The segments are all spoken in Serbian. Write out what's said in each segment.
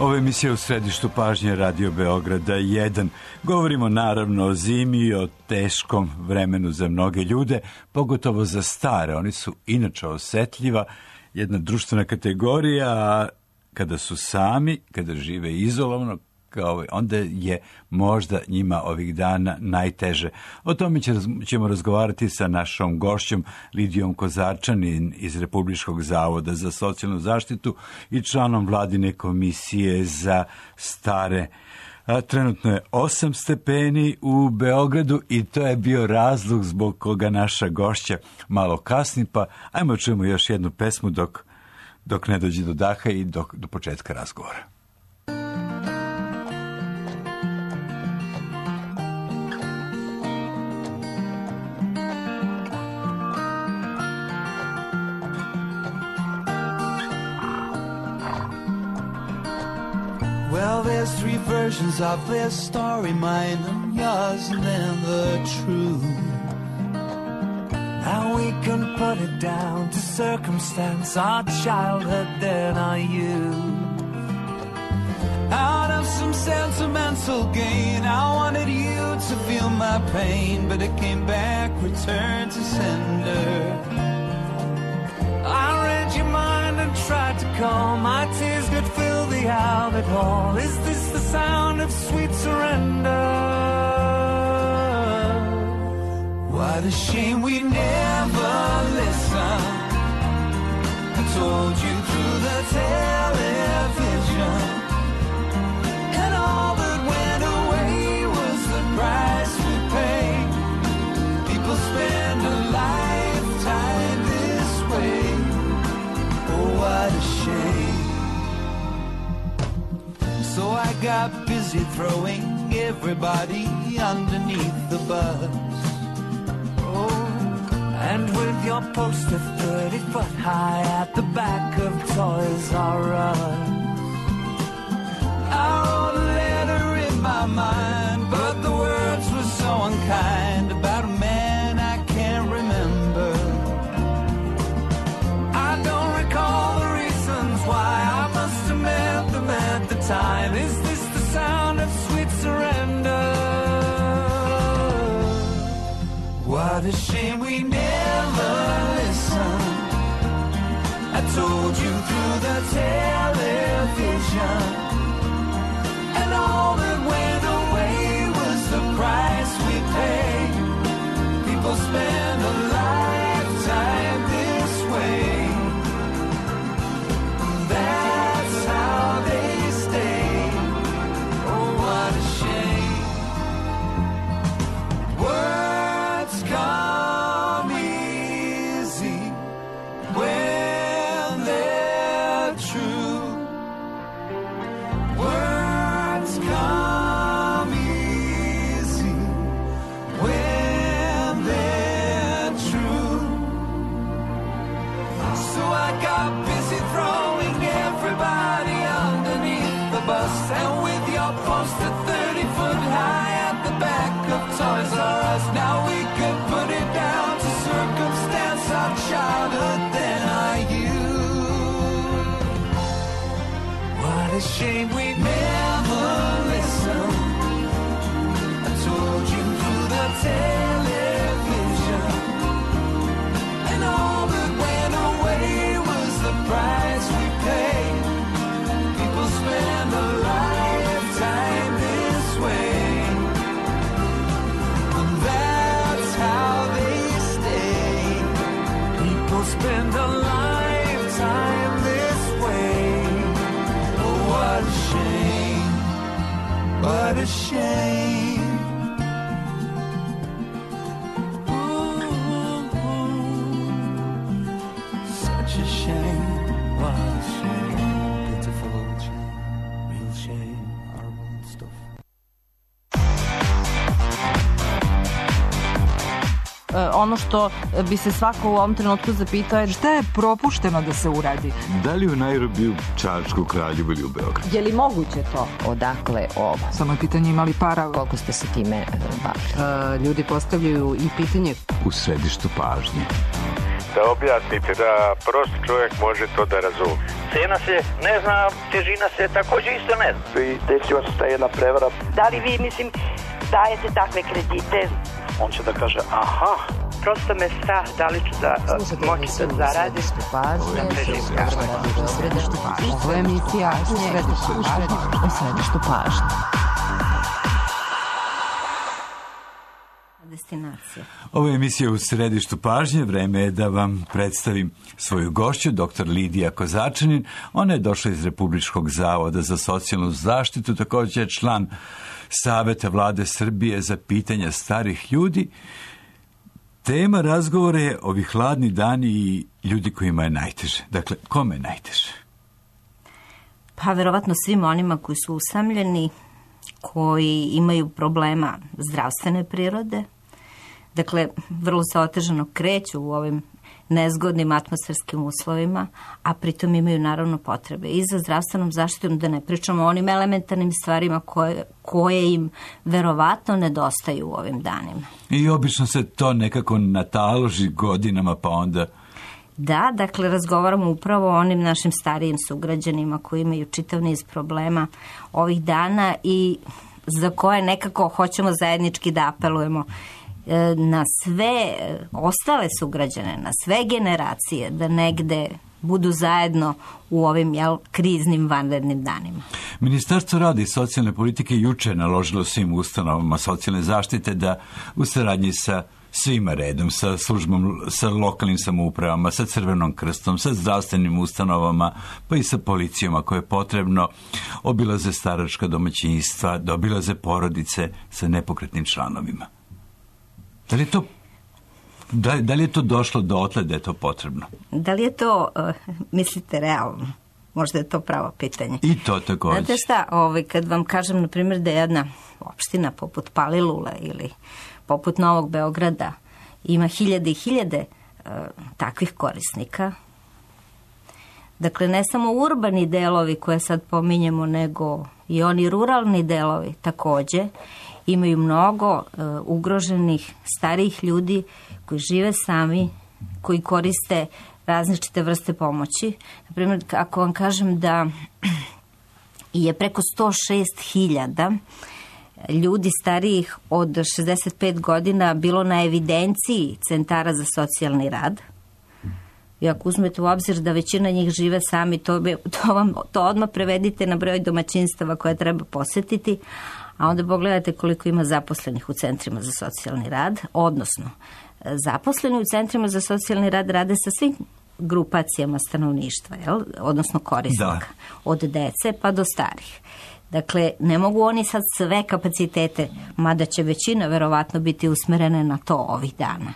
Ovo je emisija u središtu pažnje Radio Beograda 1. Govorimo naravno o zimi i o teškom vremenu za mnoge ljude, pogotovo za stare. Oni su inače osetljiva, jedna društvena kategorija, a kada su sami, kada žive izolovano, onda je možda njima ovih dana najteže. O tome ćemo razgovarati sa našom gošćom Lidijom Kozarčanin iz Republičkog zavoda za socijalnu zaštitu i članom vladine komisije za stare. Trenutno je 8 stepeni u Beogradu i to je bio razlog zbog koga naša gošća malo kasni, pa ajmo čujemo još jednu pesmu dok ne dođe do daha i do početka razgovora. Well, there's 3 versions of this story, mine and yours, and then the truth. Now we can put it down to circumstance, our childhood, then our youth. Out of some sentimental gain, I wanted you to feel my pain, but it came back, returned to sender. I read your mind and tried to calm my tears, could fill the Albert Hall. Is this the sound of sweet surrender? What a shame we never listened. I told you through the television, and all that went away was the price we paid. People spend a lifetime this way. Oh, what a shame. So I got busy throwing everybody underneath the bus. Oh, and with your poster 30 foot high at the back of Toys R Us, I wrote a letter in my mind, but the words were so unkind, about a man I can't remember. I don't recall the reasons why, I must have met them at the time. Is this the sound of sweet surrender? What a shame we never listened. I told you through the television, and all that went away was the price we paid. People spend a lifetime this way. That's how they stay. Oh, what a shame. Words come easy when they're true. Words come easy when they're true. So I got busy throwing everybody underneath the bus, and with your poster 30 foot high at the back of Toys R Us, now we could put it down to circumstance, our childhood, then our youth. What a shame we never listened. I told you through the television, and all that went away was the price we paid. People spend a lifetime this way, and that's how they stay. People spend a lifetime this way. Oh, what a shame, what a shame. Such a shame, what a shame. Pitiful shame, real shame, horrible stuff. Ono što bi se svako u ovom trenutku zapitao je šta je propušteno da se uradi? Da li u Nairobiju, Čačku, Kraljevu ili u Beogradu? je li moguće to? Odakle ovo? Samo je pitanje imali para. Koliko ste se time bavili? Ljudi postavljaju i pitanje U središtu pažnje. da objasnite, da prosti čovjek može to da razumije. Cena se ne zna, težina se također isto ne zna. I desila se ta jedna prevara. Da li vi, mislim, dajete takve kredite? On će da kaže, aha. Prosto me strah da li ću da moći da zaradim. Ovo je emisija u središtu pažnje. Destinacija. Ovo je emisija u središtu pažnje. Vreme je da vam predstavim svoju gošću, dr. Lidija Kozačanin. Ona je došla iz Republičkog zavoda za socijalnu zaštitu, također je član Saveta Vlade Srbije za pitanja starih ljudi. Tema razgovora je ovi hladni dani i ljudi kojima je najteže. Dakle, kome je najteže? Pa, verovatno svim onima koji su usamljeni, koji imaju problema zdravstvene prirode. Dakle, vrlo se otežano kreću u ovim nezgodnim atmosferskim uslovima, a pritom imaju naravno potrebe i za zdravstvenom zaštitom, da ne pričamo o onim elementarnim stvarima koje im verovatno nedostaju u ovim danima. I obično se to nekako nataloži godinama, pa onda... Da, dakle, razgovaramo upravo o onim našim starijim sugrađanima koji imaju čitav niz problema ovih dana i za koje nekako hoćemo zajednički da apelujemo na sve ostale sugrađane, na sve generacije, da negde budu zajedno u ovim kriznim vanrednim danima. Ministarstvo rada i socijalne politike juče naložilo svim ustanovama socijalne zaštite da u saradnji sa svima redom, sa službom, sa lokalnim samoupravama, sa Crvenom krstom, sa zdravstvenim ustanovama, pa i sa policijom ako je potrebno, obilaze staračka domaćinstva, da obilaze porodice sa nepokretnim članovima. Da li je to došlo dotle da je to potrebno? Da li je to, mislite, realno? Možda je to pravo pitanje. I to također. Znate šta, kad vam kažem, na primjer, da je jedna opština poput Palilule ili poput Novog Beograda ima hiljade i hiljade takvih korisnika. Dakle, ne samo urbani delovi koje sad pominjemo, nego i oni ruralni delovi također imaju mnogo ugroženih starijih ljudi koji žive sami, koji koriste različite vrste pomoći. Na primjer, ako vam kažem da je preko 106.000 ljudi starijih od 65 godina bilo na evidenciji centara za socijalni rad. I ako uzmete u obzir da većina njih žive sami, to odmah prevedite na broj domaćinstava koje treba posjetiti, a onda pogledajte koliko ima zaposlenih u centrima za socijalni rad, odnosno zaposleni u centrima za socijalni rad rade sa svim grupacijama stanovništva, odnosno korisnika, od dece pa do starih. Dakle, ne mogu oni sad sve kapacitete, mada će većina verovatno biti usmerene na to ovih dana.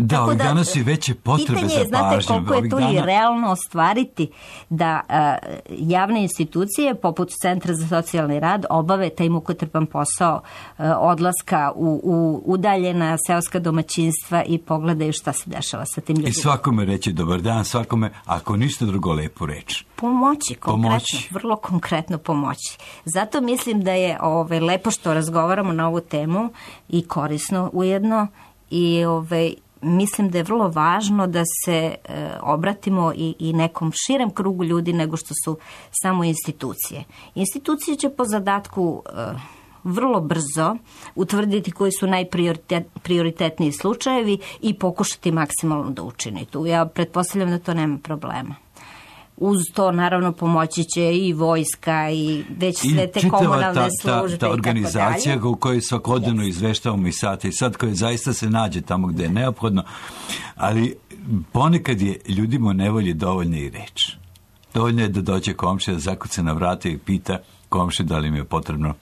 Da, ovih dana su i veće potrebe za pažnjom. Pitanje je, znate koliko je to i realno ostvariti da javne institucije poput Centra za socijalni rad obave taj mukotrpan posao odlaska u udaljena seoska domaćinstva i pogledaju šta se dešava sa tim ljudima. I svakome reći dobar dan, svakome, ako ništa drugo, lepu reč. Pomoći, konkretno, vrlo konkretno pomoći. Zato mislim da je lepo što razgovaramo na ovu temu i korisno ujedno i mislim da je vrlo važno da se obratimo i nekom širem krugu ljudi nego što su samo institucije. Institucije će po zadatku vrlo brzo utvrditi koji su najprioritetniji slučajevi i pokušati maksimalno da učini tu. Ja pretpostavljam da to nema problema. Uz to, naravno, pomoći će i vojska i već sve te komunalne službe. Ta organizacija u kojoj svakodnevno izveštavamo i sate i sad koja zaista se nađe tamo gde je neophodno, ali ponekad je ljudima u nevolji dovoljna i reč. Dovoljno je da dođe komšija, da zakuca na vrata i pita komšiju da li im je potrebno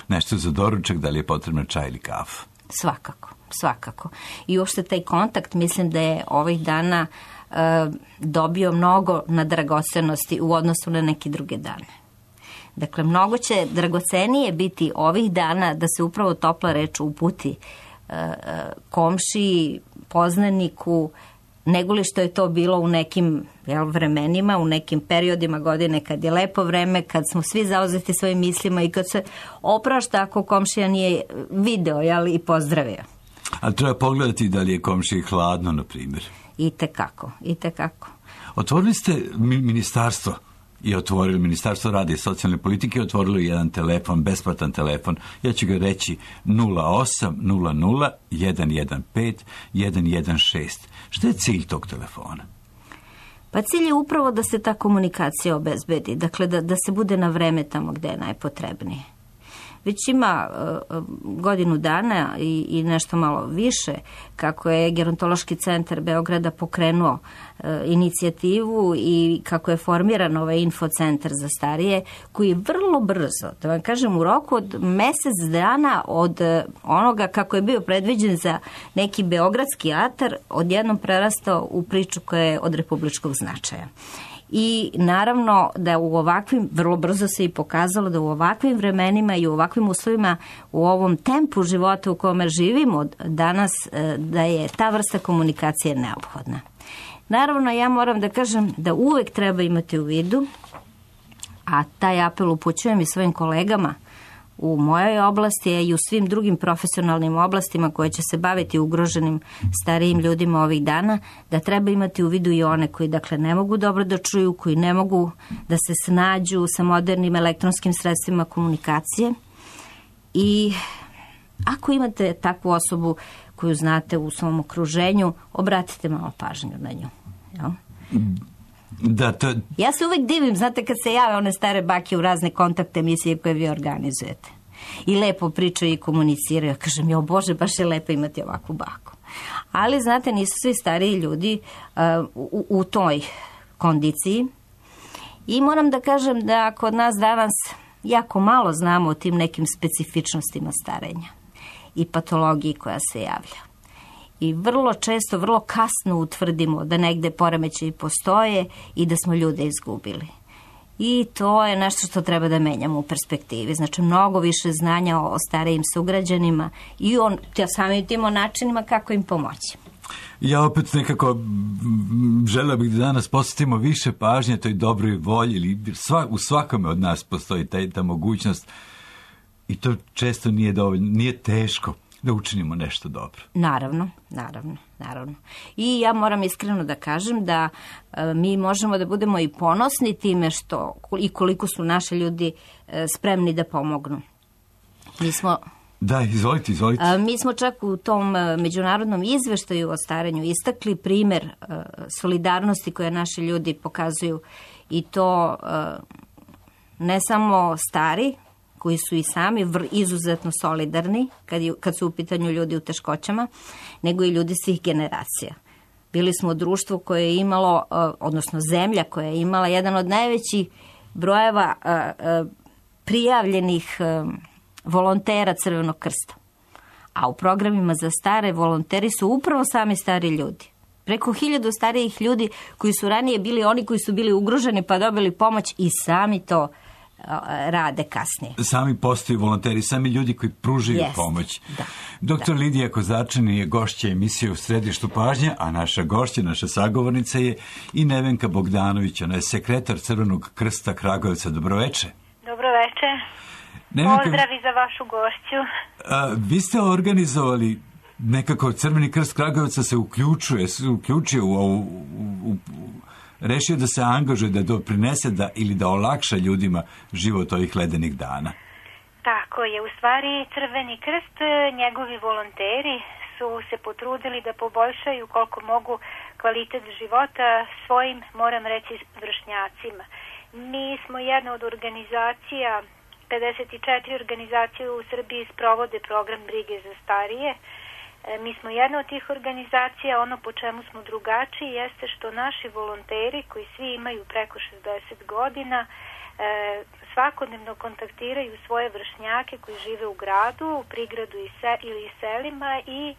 nešto za doručak, da li je potrebno čaj ili kafu. Svakako. I uopšte taj kontakt, mislim da je ovih dana dobio mnogo na dragocenosti u odnosu na neke druge dane. Dakle, mnogo će dragocenije biti ovih dana da se upravo topla reč uputi komšiji, poznaniku, nego li što je to bilo u nekim vremenima, u nekim periodima godine kad je lepo vreme, kad smo svi zauzeti svojim mislima i kad se oprašta ako komšija nije video i pozdravio. A treba pogledati da li je komšiji hladno, na primjer. I tekako. Otvorili ste ministarstvo i otvorili Ministarstvo rada i socijalne politike, otvorilo jedan telefon, besplatan telefon. Ja ću ga reći 0800 115 116. Šta je cilj tog telefona? Pa cilj je upravo da se ta komunikacija obezbedi, dakle da se bude na vreme tamo gde je najpotrebnije. Već ima godinu dana i nešto malo više kako je Gerontološki centar Beograda pokrenuo inicijativu i kako je formiran ovaj infocentar za starije, koji je vrlo brzo, da vam kažem, u roku od mesec dana od onoga kako je bio predviđen za neki beogradski atar, odjednom prerastao u priču koja je od republičkog značaja. I naravno da u ovakvim, vrlo brzo se i pokazalo da u ovakvim vremenima i u ovakvim uslovima, u ovom tempu života u kome živimo danas, da je ta vrsta komunikacije neophodna. Naravno, ja moram da kažem da uvek treba imati u vidu, a taj apel upućujem i svojim kolegama u mojoj oblasti i u svim drugim profesionalnim oblastima koje će se baviti ugroženim starijim ljudima ovih dana, da treba imati u vidu i one koji dakle ne mogu dobro da čuju, koji ne mogu da se snađu sa modernim elektronskim sredstvima komunikacije. I ako imate takvu osobu koju znate u svom okruženju, obratite malo pažnju na nju. Jel? Ja se uvek divim, znate, kad se jave one stare bake u razne kontakt emisije koje vi organizujete. I lepo pričaju i komuniciraju. Kažem, jo Bože, baš je lepo imati ovakvu baku. Ali, znate, nisu svi stariji ljudi u toj kondiciji. I moram da kažem da kod nas danas jako malo znamo o tim nekim specifičnostima starenja i patologiji koja se javlja. I vrlo često, vrlo kasno utvrdimo da negde poremećaji postoje i da smo ljude izgubili. I to je nešto što treba da menjamo u perspektivi. Znači, mnogo više znanja o starijim sugrađanima i samim tim o načinima kako im pomoći. Ja opet nekako želeo bih da danas posvetimo više pažnje toj dobroj volji, ili u svakome od nas postoji ta mogućnost i to često nije dovoljno, nije teško da učinimo nešto dobro. Naravno. I ja moram iskreno da kažem da mi možemo da budemo i ponosni time što i koliko su naši ljudi spremni da pomognu. Da, izvolite. Mi smo čak u tom međunarodnom izveštaju o starenju istakli primer solidarnosti koje naši ljudi pokazuju i to ne samo stari, koji su i sami izuzetno solidarni kad su u pitanju ljudi u teškoćama, nego i ljudi svih generacija. Bili smo društvo koje je imalo, odnosno zemlja koja je imala jedan od najvećih brojeva prijavljenih volontera Crvenog krsta. A u programima za stare volonteri su upravo sami stari ljudi. Preko 1000 starijih ljudi koji su ranije bili oni koji su bili ugroženi pa dobili pomoć i sami to rade kasnije. Sami postaju volonteri, sami ljudi koji pružaju pomoć. Doktor Lidija Kozačanin je gošća emisije U središtu pažnje, a naša gošća, naša sagovornica je i Nevenka Bogdanović, ona je sekretar Crvenog krsta Kragujevca. Dobroveče. Dobroveče. Pozdrav i za vašu gošću. Vi ste organizovali nekako Crveni krst Kragujevca se uključio u ovu rešio da se angažuje, da doprinese ili da olakša ljudima život ovih ledenih dana. Tako je. U stvari Crveni krst, njegovi volonteri su se potrudili da poboljšaju koliko mogu kvalitet života svojim, moram reći, vršnjacima. Mi smo jedna od organizacija, 54 organizacije u Srbiji sprovode program brige za starije. Mi smo jedna od tih organizacija. Ono po čemu smo drugačiji jeste što naši volonteri, koji svi imaju preko 60 godina, svakodnevno kontaktiraju svoje vršnjake koji žive u gradu, u prigradu ili selima i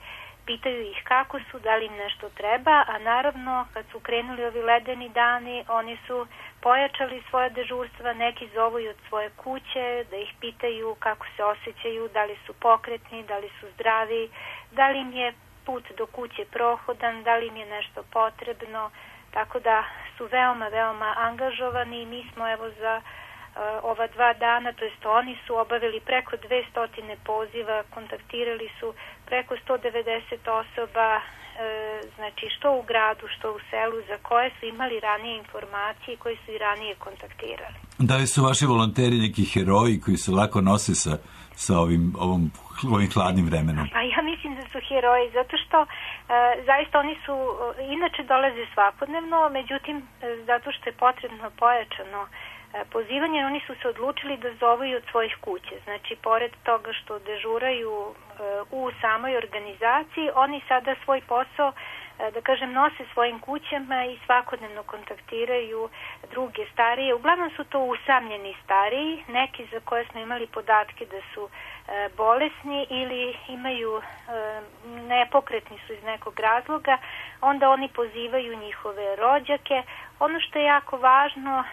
pitaju ih kako su, da li im nešto treba, a naravno kad su krenuli ovi ledeni dani, oni su pojačali svoje dežurstva, neki zovu i od svoje kuće da ih pitaju kako se osjećaju, da li su pokretni, da li su zdravi, da li im je put do kuće prohodan, da li im je nešto potrebno, tako da su veoma, veoma angažovani i mi smo evo za ova 2 dana, to jest oni su obavili preko 200 poziva, kontaktirali su preko 190 osoba, znači što u gradu, što u selu, za koje su imali ranije informacije i koji su i ranije kontaktirali. Da li su vaši volonteri neki heroji koji se lako nose sa ovim hladnim vremenom? Pa ja mislim da su heroji, zato što zaista oni su, inače dolaze svakodnevno, međutim, zato što je potrebno pojačano pozivanje, oni su se odlučili da zovu i od svojih kuće. Znači, pored toga što dežuraju u samoj organizaciji, oni sada svoj posao, da kažem, nose svojim kućama i svakodnevno kontaktiraju druge starije. Uglavnom su to usamljeni stariji, neki za koje smo imali podatke da su bolesni ili imaju nepokretni su iz nekog razloga, onda oni pozivaju njihove rođake. Ono što je jako važno,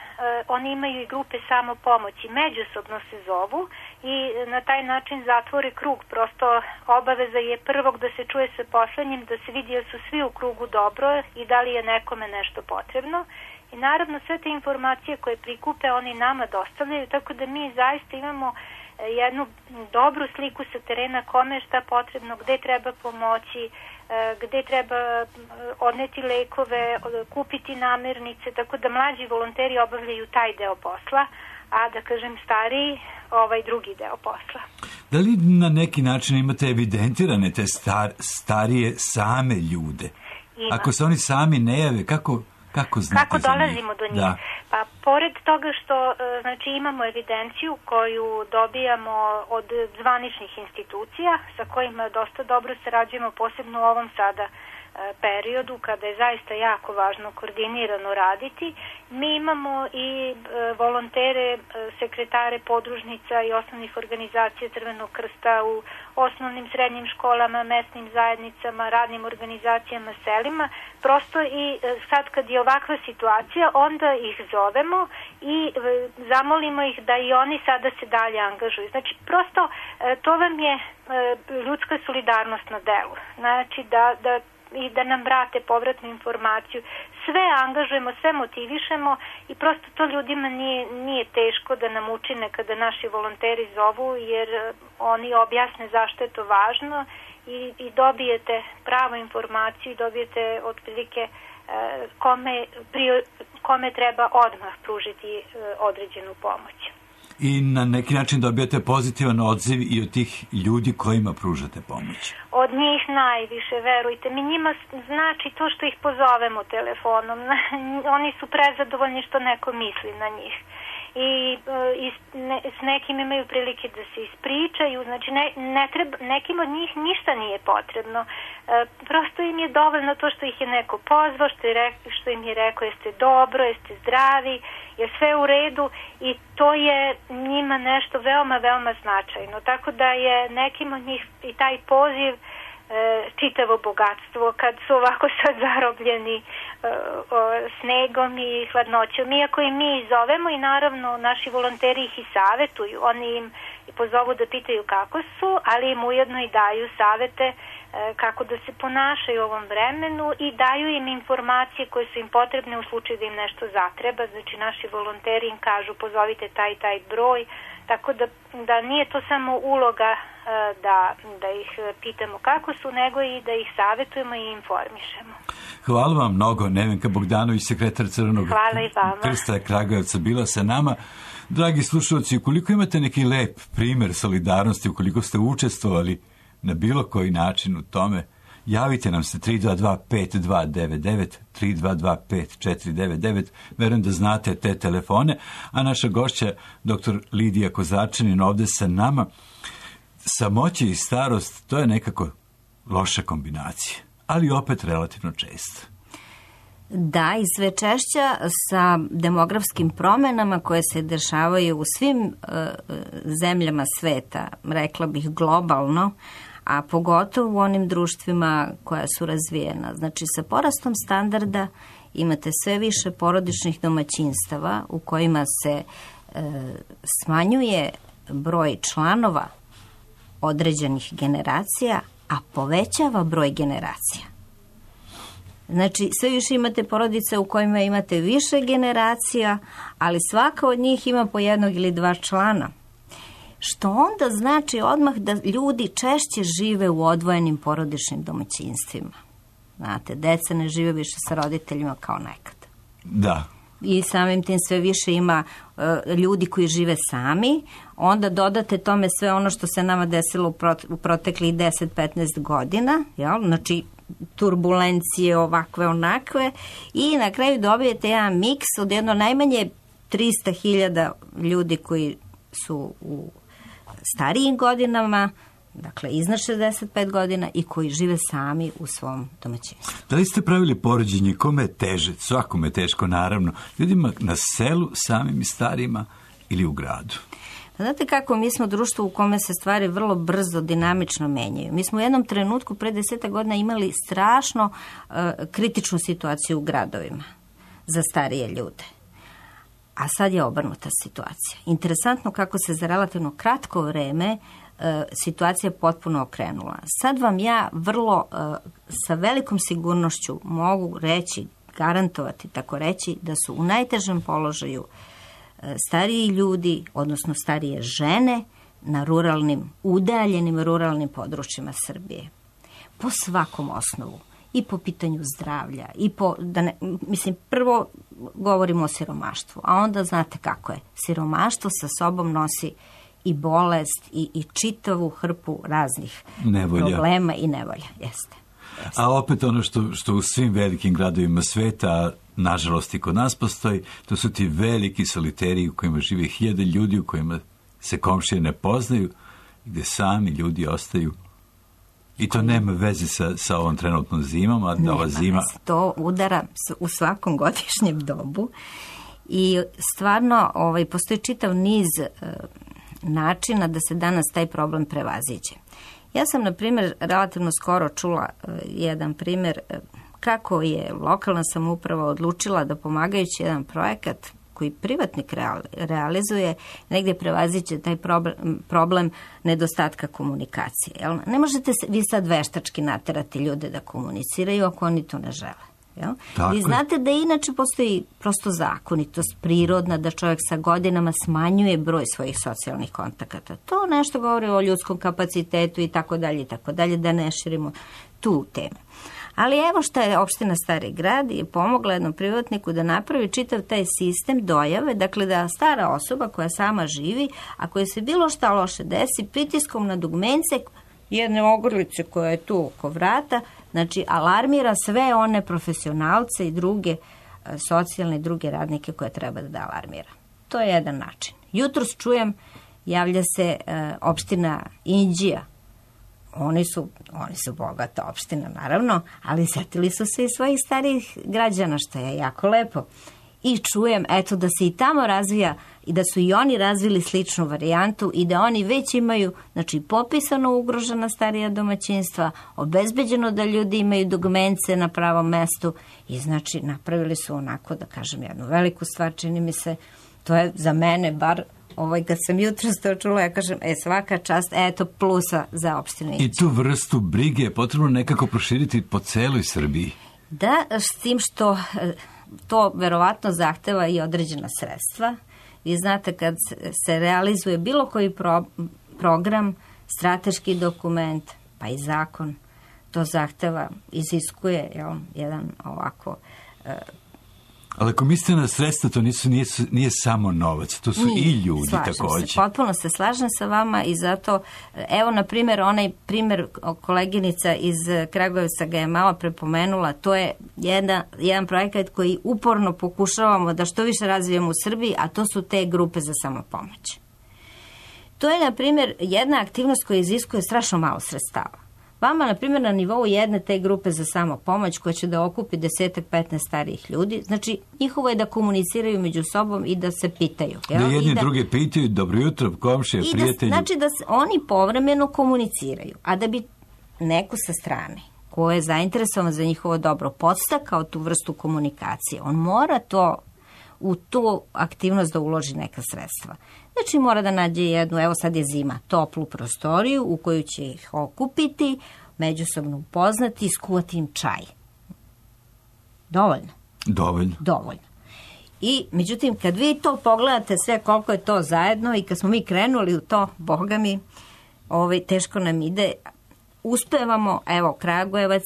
oni imaju i grupe samopomoći, međusobno se zovu i na taj način zatvore krug. Prosto obaveza je prvog da se čuje sa poslednjim, da se vidi da su svi u krugu dobro i da li je nekome nešto potrebno. I naravno sve te informacije koje prikupe oni nama dostavljaju, tako da mi zaista imamo jednu dobru sliku sa terena kome je šta potrebno, gde treba pomoći, gde treba odneti lekove, kupiti namirnice, tako da mlađi volonteri obavljaju taj deo posla, a da kažem stariji ovaj drugi deo posla. Da li na neki način imate evidentirane te starije same ljude? Ima. Ako se oni sami ne jave, kako znate kako dolazimo do njih? Da. Pa pored toga što znači imamo evidenciju koju dobijamo od zvaničnih institucija sa kojima dosta dobro sarađujemo, posebno u ovom sada periodu kada je zaista jako važno koordinirano raditi. Mi imamo i volontere, sekretare podružnica i osnovnih organizacija Crvenog krsta u osnovnim, srednjim školama, mesnim zajednicama, radnim organizacijama, selima. Prosto i sad kad je ovakva situacija, onda ih zovemo i zamolimo ih da i oni sada se dalje angažuju. Znači, prosto to vam je ljudska solidarnost na delu. Znači, da nam vrate povratnu informaciju. Sve angažujemo, sve motivišemo i prosto to ljudima nije teško da nam učine kada naši volonteri zovu, jer oni objasne zašto je to važno i dobijete pravu informaciju i dobijete otprilike kome treba odmah pružiti određenu pomoć. I na neki način dobijate pozitivan odziv i od tih ljudi kojima pružate pomoć? Od njih najviše, verujte mi. Njima znači to što ih pozovemo telefonom. Oni su prezadovoljni što neko misli na njih. I s nekim imaju prilike da se ispričaju, znači nekim od njih ništa nije potrebno. Prosto im je dovoljno to što ih je neko pozvao, što im je rekao jeste dobro, jeste zdravi, je sve u redu i to je njima nešto veoma, veoma značajno. Tako da je nekim od njih i taj poziv čitavo bogatstvo kad su ovako sad zarobljeni snegom i hladnoćom. Iako i mi zovemo i naravno naši volonteri ih i savetuju. Oni im pozovu da pitaju kako su, ali im ujedno i daju savete kako da se ponašaju u ovom vremenu i daju im informacije koje su im potrebne u slučaju da im nešto zatreba. Znači naši volonteri im kažu pozovite taj broj, tako da nije to samo uloga da ih pitamo kako su, nego i da ih savetujemo i informišemo. Hvala vam mnogo, Nevenka Bogdanović, sekretar Crvenog krsta Kragujevca, bila sa nama. Dragi slušalci, ukoliko imate neki lep primer solidarnosti, ukoliko ste učestvovali na bilo koji način u tome, javite nam se 322-5299, 322-5499, verujem da znate te telefone, a naša gošća, dr. Lidija Kozarčanin, ovde sa nama. Samoće i starost, to je nekako loša kombinacija, ali opet relativno često. Da, i sve češća sa demografskim promenama koje se dešavaju u svim zemljama sveta, rekla bih globalno, a pogotovo u onim društvima koja su razvijena. Znači, sa porastom standarda imate sve više porodičnih domaćinstava u kojima se smanjuje broj članova određenih generacija, a povećava broj generacija. Znači, sve više imate porodice u kojima imate više generacija, ali svaka od njih ima po jednog ili dva člana. Što onda znači odmah da ljudi češće žive u odvojenim porodičnim domaćinstvima. Znate, deca ne žive više sa roditeljima kao nekad. Da. I samim tim sve više ima ljudi koji žive sami, onda dodate tome sve ono što se nama desilo u proteklih 10-15 godina, jel? Znači turbulencije ovakve onakve i na kraju dobijete jedan miks od jedno najmanje 300.000 ljudi koji su u starijim godinama, dakle iznad 65 godina i koji žive sami u svom domaćinstvu. Da li ste pravili poređenje kome je teže? Svakome je teško, naravno. Ljudima na selu, samim i starima ili u gradu? Znate kako, mi smo društvo u kome se stvari vrlo brzo, dinamično menjaju. Mi smo u jednom trenutku pre 10 godina imali strašno kritičnu situaciju u gradovima za starije ljude. A sad je obrnuta situacija. Interesantno kako se za relativno kratko vreme situacija potpuno okrenula. Sad vam ja vrlo sa velikom sigurnošću mogu reći, garantovati, tako reći, da su u najtežem položaju stariji ljudi, odnosno starije žene na udaljenim ruralnim područjima Srbije. Po svakom osnovu. I po pitanju zdravlja, prvo govorimo o siromaštvu, a onda znate kako je. Siromaštvo sa sobom nosi i bolest i čitavu hrpu raznih problema i nevolja. Jeste. A opet ono što u svim velikim gradovima sveta, nažalost i kod nas postoji, to su ti veliki soliteri u kojima žive 1000 ljudi, u kojima se komšije ne poznaju, gdje sami ljudi ostaju. I to nema veze sa ovom trenutnom zimom, a da ova zima... To udara u svakom godišnjem dobu i stvarno postoji čitav niz načina da se danas taj problem prevaziđe. Ja sam, na primjer, relativno skoro čula jedan primjer kako je lokalna samouprava odlučila da pomagajući jedan projekat koji privatnik realizuje, negdje prevaziće taj problem nedostatka komunikacije. Jel? Ne možete vi sad veštački naterati ljude da komuniciraju ako oni to ne žele. Jel? Vi znate da inače postoji prosto zakonitost prirodna da čovjek sa godinama smanjuje broj svojih socijalnih kontakata. To nešto govori o ljudskom kapacitetu i tako dalje, da ne širimo tu temu. Ali evo šta je opština Stari Grad je pomogla jednom privatniku da napravi čitav taj sistem dojave, dakle da stara osoba koja sama živi, a koja se bilo šta loše desi, pritiskom na dugmence jedne ogrlice koja je tu oko vrata, znači alarmira sve one profesionalce i druge socijalne i druge radnike koje treba da alarmira. To je jedan način. Jutros čujem, javlja se opština Inđija. Oni su bogata opština, naravno, ali sjetili su se i svojih starijih građana, što je jako lepo. I čujem, eto, da se i tamo razvija i da su i oni razvili sličnu varijantu i da oni već imaju, znači, popisano ugrožena starija domaćinstva, obezbeđeno da ljudi imaju dugmence na pravom mestu i, znači, napravili su onako, da kažem, jednu veliku stvar, čini mi se, to je za mene bar... kad sam jutros to čula, ja kažem, svaka čast, eto, plusa za opštinu Inđija. I tu vrstu brige je potrebno nekako proširiti po celoj Srbiji. Da, s tim što to verovatno zahteva i određena sredstva. Vi znate, kad se realizuje bilo koji program, strateški dokument, pa i zakon, to zahteva, iziskuje jedan ovako... Ali ako mislite na sredstva, to nije samo novac, to su i ljudi također. Potpuno se slažem sa vama i zato, evo na primjer, onaj primjer koleginica iz Kragujevca ga je malo prepomenula, to je jedan projekat koji uporno pokušavamo da što više razvijemo u Srbiji, a to su te grupe za samopomoć. To je, na primjer, jedna aktivnost koja iziskuje strašno malo sredstava. Vama, na primjer, na nivou jedne te grupe za samopomoć koja će da okupi 10-15 starijih ljudi, znači njihovo je da komuniciraju među sobom i da se pitaju. Da jedni druge pitaju, dobro jutro, komšije, prijatelji. Znači da oni povremeno komuniciraju, a da bi neko sa strane ko je zainteresovan za njihovo dobro podstakao tu vrstu komunikacije, on mora u tu aktivnost da uloži neka sredstva. Znači mora da nađe jednu, evo sad je zima, toplu prostoriju u koju će ih okupiti, međusobno upoznati i skuvati im čaj. Dovoljno. I, međutim, kad vi to pogledate sve koliko je to zajedno i kad smo mi krenuli u to, boga mi, teško nam ide. Uspevamo, evo, Kragujevac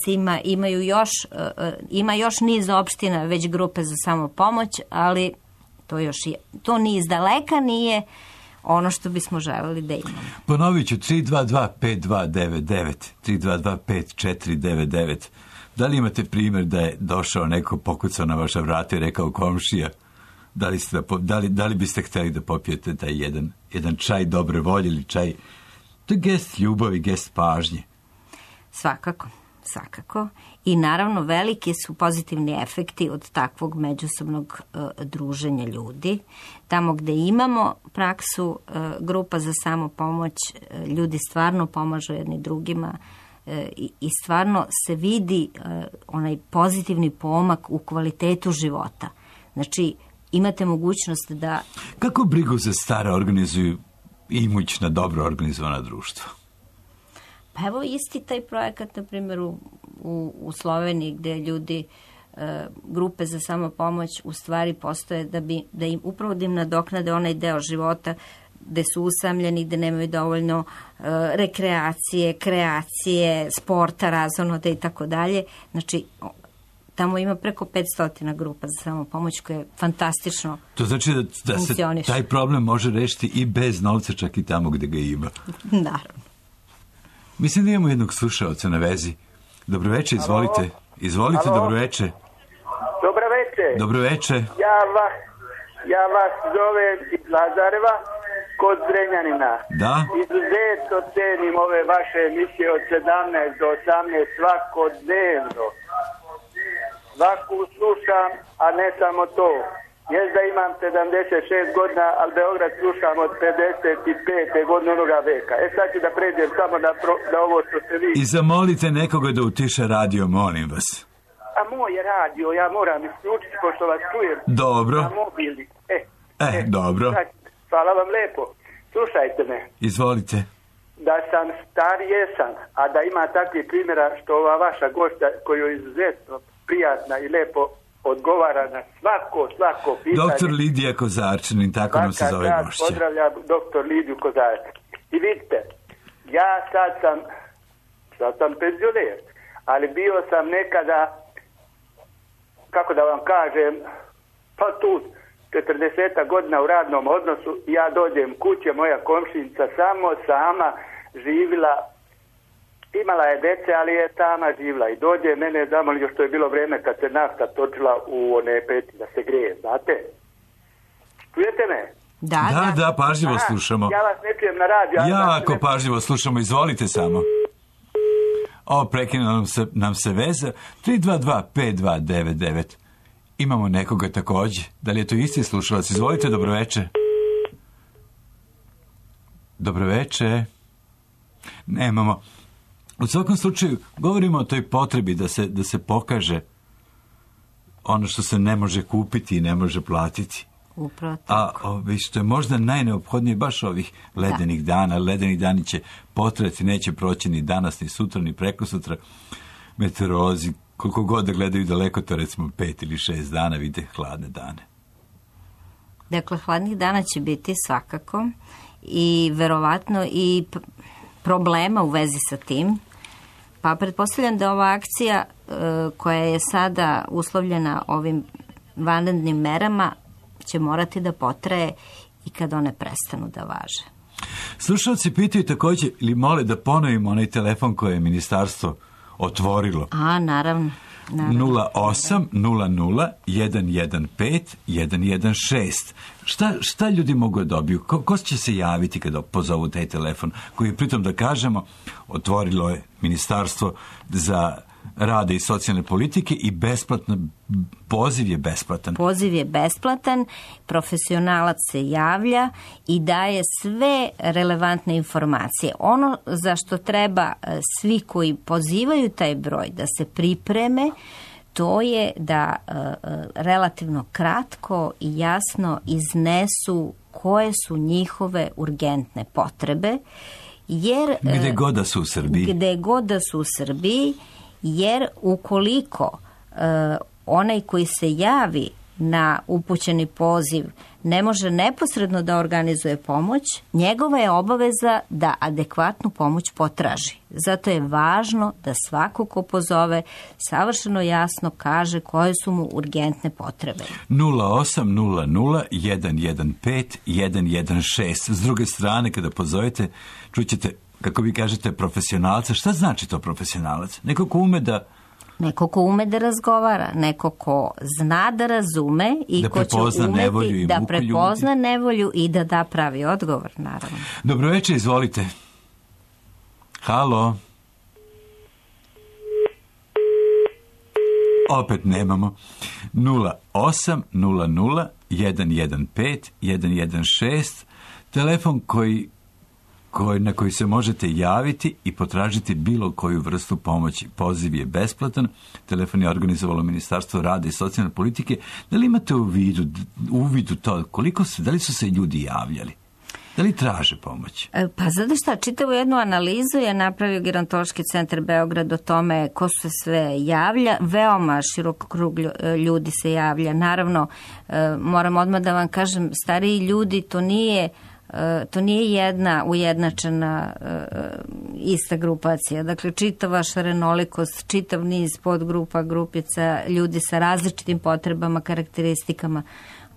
ima još niz opština, već grupe za samopomoć, ali to ni iz daleka nije ono što bismo želeli da imamo. Ponovit ću, 322-5299, 322-5499. Da li imate primjer da je došao neko, pokucao na vaša vrata i rekao komšija, da li biste htjeli da popijete taj jedan čaj dobre volje ili čaj, to je gest ljubavi, gest pažnje? Svakako. I naravno veliki su pozitivni efekti od takvog međusobnog druženja ljudi. Tamo gde imamo praksu grupa za samopomoć, ljudi stvarno pomažu jedni drugima i stvarno se vidi onaj pozitivni pomak u kvalitetu života. Znači, imate mogućnost da... Kako brigu za stare organizuju imućna, dobro organizovana društva? Pa evo isti taj projekat, na primjer, u Sloveniji, gde ljudi, grupe za samopomoć u stvari postoje da im upravo da im nadoknade onaj deo života gde su usamljeni, gde nemaju dovoljno rekreacije, kreacije, sporta, razonoda i tako dalje. Znači, tamo ima preko 500 grupa za samopomoć koje je fantastično. To znači da se taj problem može rešiti i bez novca, čak i tamo gde ga ima. Naravno. Mislim da imamo jednog slušaoca na vezi. Dobroveče, izvolite. Izvolite, dobroveče. Dobroveče. Ja vas zovem iz Lazareva kod Zrenjanina. Da. Izuzetno cenim ove vaše emisije od 17 do 18 svakodnevno. Svaku slušam, a ne samo to. Jest da imam 76 godina, ali Beograd slušam od 55. godine onoga veka. Sad ću da pređem samo na ovo što ste vi. I zamolite nekoga da utiša radio, molim vas. A moj je radio, ja moram isključiti pošto vas čujem. Dobro. Na mobilni. Dobro. Hvala vam lepo. Slušajte me. Izvolite. Da sam star jesam, a da ima takvih primjera što ova vaša gošća koju je izuzetno prijatna i lepo odgovara na svako pitanje. Doktor Lidija Kozarčanin, tako nam se zove gošća. Pozdravljam doktor Lidiju Kozarčanin. I vidite, ja sad sam penzioner, ali bio sam nekada, kako da vam kažem, pa tu 40 godina u radnom odnosu, ja dođem kuće, moja komšinica sama živila, imala je dece, ali je sama živila i dođe mene, znamo li još to je bilo vreme kad se nafta točila u one peti da se greje, znate? Čujete me? Da, pažljivo slušamo. Ja vas ne čujem na radiju. Jako pažljivo slušamo, izvolite samo. Prekinuo nam se veza. 322-5299. Imamo nekoga takođe. Da li je to isti slušalac? Izvolite, dobroveče. Dobroveče. Nemamo. U svakom slučaju, govorimo o toj potrebi da se pokaže ono što se ne može kupiti i ne može platiti. Upravo tako. A što je možda najneophodnije baš ovih ledenih dana. Ledeni dani će potrajati, neće proći ni danas, ni sutra, ni prekosutra. Meteorolozi, koliko god da gledaju daleko, to recimo 5 ili 6 dana, vide hladne dane. Dakle, hladnih dana će biti svakako i verovatno i problema u vezi sa tim. Pa pretpostavljam da ova akcija koja je sada uslovljena ovim vanrednim merama će morati da potraje i kad one prestanu da važe. Slušalci pitaju također ili mole da ponovimo onaj telefon koje je ministarstvo otvorilo. Naravno. 08 00 115 116. Šta ljudi mogu da dobiju? Ko će se javiti kada pozovu taj telefon? Koji je, pritom da kažemo, otvorilo je Ministarstvo za rada i socijalne politike i besplatno, poziv je besplatan. Poziv je besplatan, profesionalac se javlja i daje sve relevantne informacije. Ono za što treba svi koji pozivaju taj broj da se pripreme, to je da relativno kratko i jasno iznesu koje su njihove urgentne potrebe. Jer, gde god da su u Srbiji. Jer ukoliko onaj koji se javi na upućeni poziv ne može neposredno da organizuje pomoć, njegova je obaveza da adekvatnu pomoć potraži. Zato je važno da svako ko pozove savršeno jasno kaže koje su mu urgentne potrebe. 0800 115 116. S druge strane, kada pozovete, čućete, kako vi kažete, profesionalca. Šta znači to profesionalac? Neko ko ume da razgovara, neko ko zna da razume i ko će umeti da prepozna nevolju i da da pravi odgovor, naravno. Dobro večer, izvolite. Halo. Opet nemamo. 0800 115 116. Telefon na koji se možete javiti i potražiti bilo koju vrstu pomoći. Poziv je besplatan. Telefon je organizovalo Ministarstvo rada i socijalne politike. Da li imate u vidu to da li su se ljudi javljali? Da li traže pomoć? Pa znate šta, čitavu jednu analizu je napravio Gerontološki centar Beograd o tome ko se sve javlja. Veoma širok krug ljudi se javlja. Naravno, moram odmah da vam kažem, stariji ljudi, to nije jedna ujednačena ista grupacija. Dakle, čitava šarenolikost, čitav niz podgrupa, grupica, ljudi sa različitim potrebama, karakteristikama,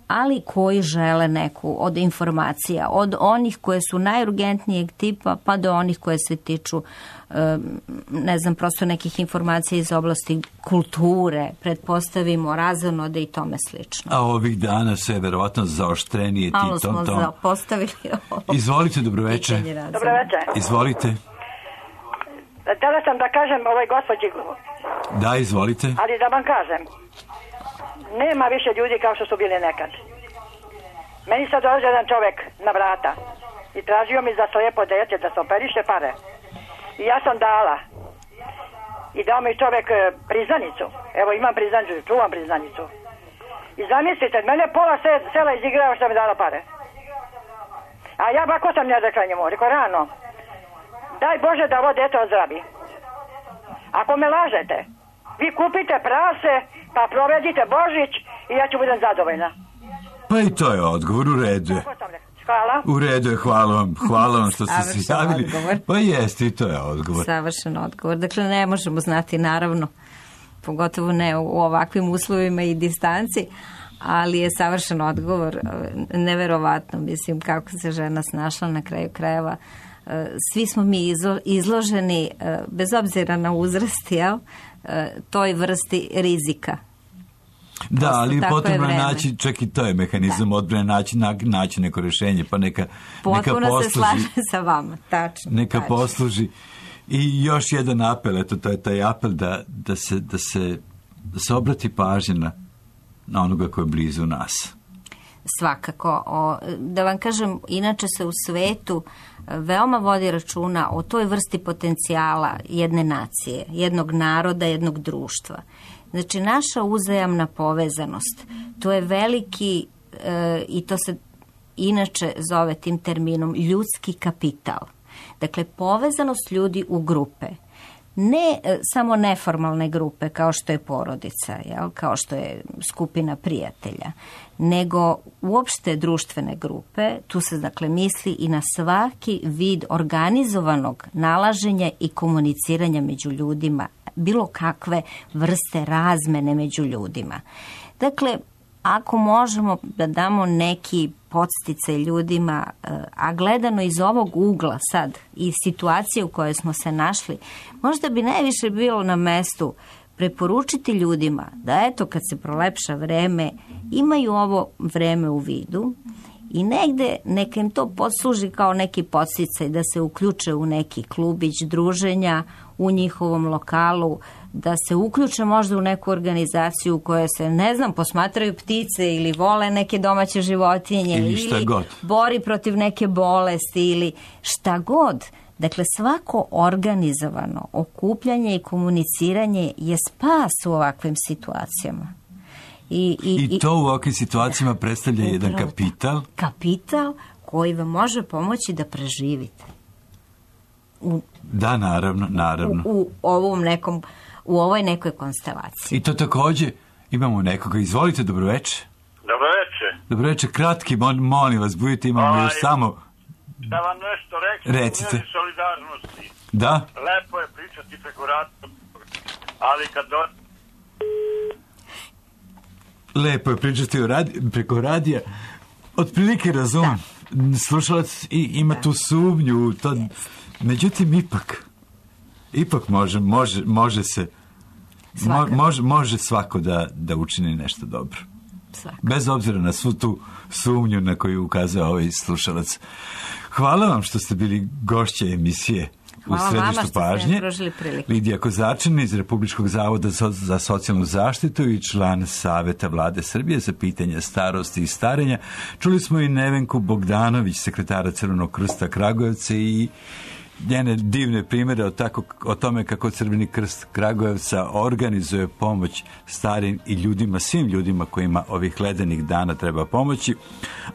ali koji žele neku od informacija, od onih koje su najurgentnijeg tipa, pa do onih koje se tiču, prosto nekih informacija iz oblasti kulture, pretpostavimo, razonode i tome slično. A ovih dana sve verovatno zaoštrenije ti tom. Malo smo zapostavili ovo. Izvolite, dobroveče. Dobroveče. Izvolite. Htjela sam da kažem ovoj gospođi. Da, izvolite. Ali da vam kažem, nema više ljudi kao što su bili nekad. Meni sad dolazi jedan čovjek na vrata i tražio mi za slijepo dete da se operiše pare. I ja sam dala. I dao mi čovjek priznanicu. Evo imam priznanicu, čuvam priznanicu. I zamislite, mene pola sela izigrava što mi dala pare. A ja bako sam ja rekla njemu, rekao rano, daj Bože da ovo dete ozdravi. Ako me lažete, vi kupite prase, pa provedite Božić i ja ću budem zadovoljna. Pa i to je odgovor, u redu je. Hvala. U redu je, hvala vam što ste se javili. Odgovor. Pa jeste, i to je odgovor. Savršen odgovor. Dakle, ne možemo znati, naravno, pogotovo ne u ovakvim uslovima i distanci, ali je savršen odgovor. Neverovatno, mislim, kako se žena snašla na kraju krajeva. Svi smo mi izloženi, bez obzira na uzrast, toj vrsti rizika. Da, ali potrebno je naći, čak i to je mehanizam odbrane, naći neko rješenje, pa neka potpuno posluži. Se slažem sa vama, tačno. Neka posluži. I još jedan apel, eto, to je taj apel da se obrati pažnja na onoga koji je blizu nas. Svakako. Da vam kažem, inače se u svetu veoma vodi računa o toj vrsti potencijala jedne nacije, jednog naroda, jednog društva. Znači, naša uzajamna povezanost, to je veliki, i to se inače zove tim terminom, ljudski kapital. Dakle, povezanost ljudi u grupe. Ne samo neformalne grupe kao što je porodica, kao što je skupina prijatelja, nego uopšte društvene grupe. Tu se dakle misli i na svaki vid organizovanog nalaženja i komuniciranja među ljudima, bilo kakve vrste razmene među ljudima. Dakle, ako možemo da damo neki podsticaj ljudima, a gledano iz ovog ugla sad i situacije u kojoj smo se našli, možda bi najviše bilo na mestu preporučiti ljudima da eto kad se prolepša vreme, imaju ovo vreme u vidu i negde neka im to posluži kao neki podsticaj da se uključe u neki klubić druženja u njihovom lokalu, da se uključe možda u neku organizaciju u kojoj se, posmatraju ptice ili vole neke domaće životinje ili bori protiv neke bolesti ili šta god. Dakle, svako organizovano okupljanje i komuniciranje je spas u ovakvim situacijama. I to u ovakvim situacijama predstavlja jedan kapital. Kapital koji vam može pomoći da preživite. Da, naravno. U ovoj nekoj konstelaciji. I to takođe Imamo nekoga. Izvolite, dobroveče. Dobroveče. Dobroveče, kratki, molim vas, budite, imamo još samo... Da vam nešto recite. U vezi solidarnosti. Da? Lepo je pričati preko radija, ali kad Lepo je pričati preko radija. Otprilike razumem. Slušalac ima tu sumnju. To... Međutim, ipak može se... Može svako da učini nešto dobro. Svako. Bez obzira na svu tu sumnju na koju ukazao ovaj slušalac. Hvala vam što ste bili gošće emisije u središtu pažnje. Lidija Kozačin iz Republičkog zavoda za socijalnu zaštitu i član Saveta Vlade Srbije za pitanja starosti i starenja. Čuli smo i Nevenku Bogdanović, sekretara Crvenog krsta Kragujevca i njene divne primjere o tome kako Crveni krst Kragujevca organizuje pomoć starim i ljudima, svim ljudima kojima ovih ledenih dana treba pomoći.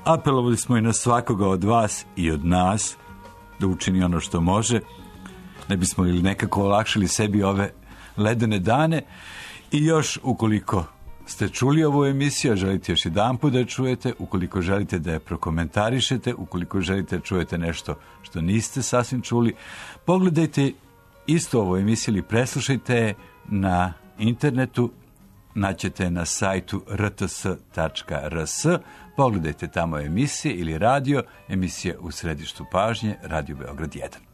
Apelovali smo i na svakoga od vas i od nas da učini ono što može, ne bismo li nekako olakšali sebi ove ledene dane. I još, ukoliko ste čuli ovu emisiju, a želite još jedanput da je čujete, ukoliko želite da je prokomentarišete, ukoliko želite da čujete nešto što niste sasvim čuli, pogledajte isto ovu emisiju ili preslušajte je na internetu, naćete na sajtu rts.rs, pogledajte tamo emisije ili radio, emisija u središtu pažnje, Radio Beograd 1.